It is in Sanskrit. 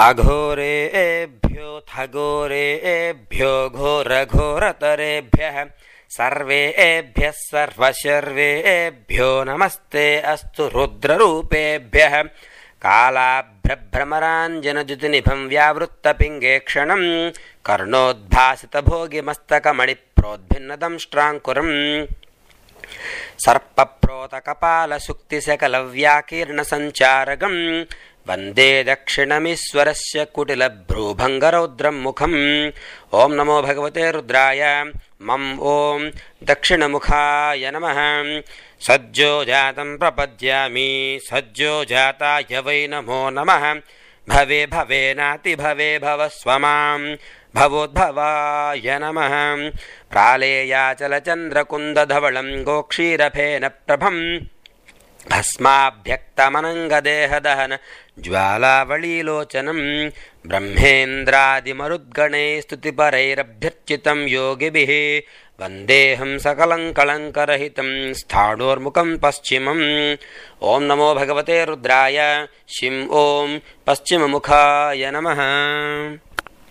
अघोरेभ्योऽथ घोरेभ्यो घोरघोरतरेभ्यः सर्वेभ्यः सर्वशर्वेभ्यो नमस्ते अस्तु रुद्ररूपेभ्यः कालाभ्रभ्रमराञ्जनद्युतिनिभं व्यावृत्तपिङ्गेक्षणं कर्णोद्भासितभोगिमस्तकमणिप्रोद्भिन्नदंष्ट्राङ्कुरम् सर्पप्रोतकपालसुक्तिसकलव्याकीर्णसञ्चारकम् वन्दे दक्षिणमीश्वरस्य कुटिलभ्रूभङ्गरौद्रं मुखम्। ॐ नमो भगवते रुद्राय। मम ॐ दक्षिणमुखाय नमः। सज्जो जातं प्रपद्यामि सज्जो जाताय वै नमो नमः। भवे भवेनाति भवे भवस्व मां भवोद्भवाय नमः। प्रालेयाचलचन्द्रकुन्दधवलं गोक्षीरफेन प्रभं भस्माभ्यक्तमनङ्गदेहदहन ज्वालावलीलोचनं ब्रह्मेन्द्रादिमरुद्गणैः स्तुतिपरैरभ्यर्चितं योगिभिः वन्देऽहं सकलं कलङ्करहितं स्थाणोर्मुखं पश्चिमम्। ॐ नमो भगवते रुद्राय। शिं ॐ पश्चिममुखाय नमः।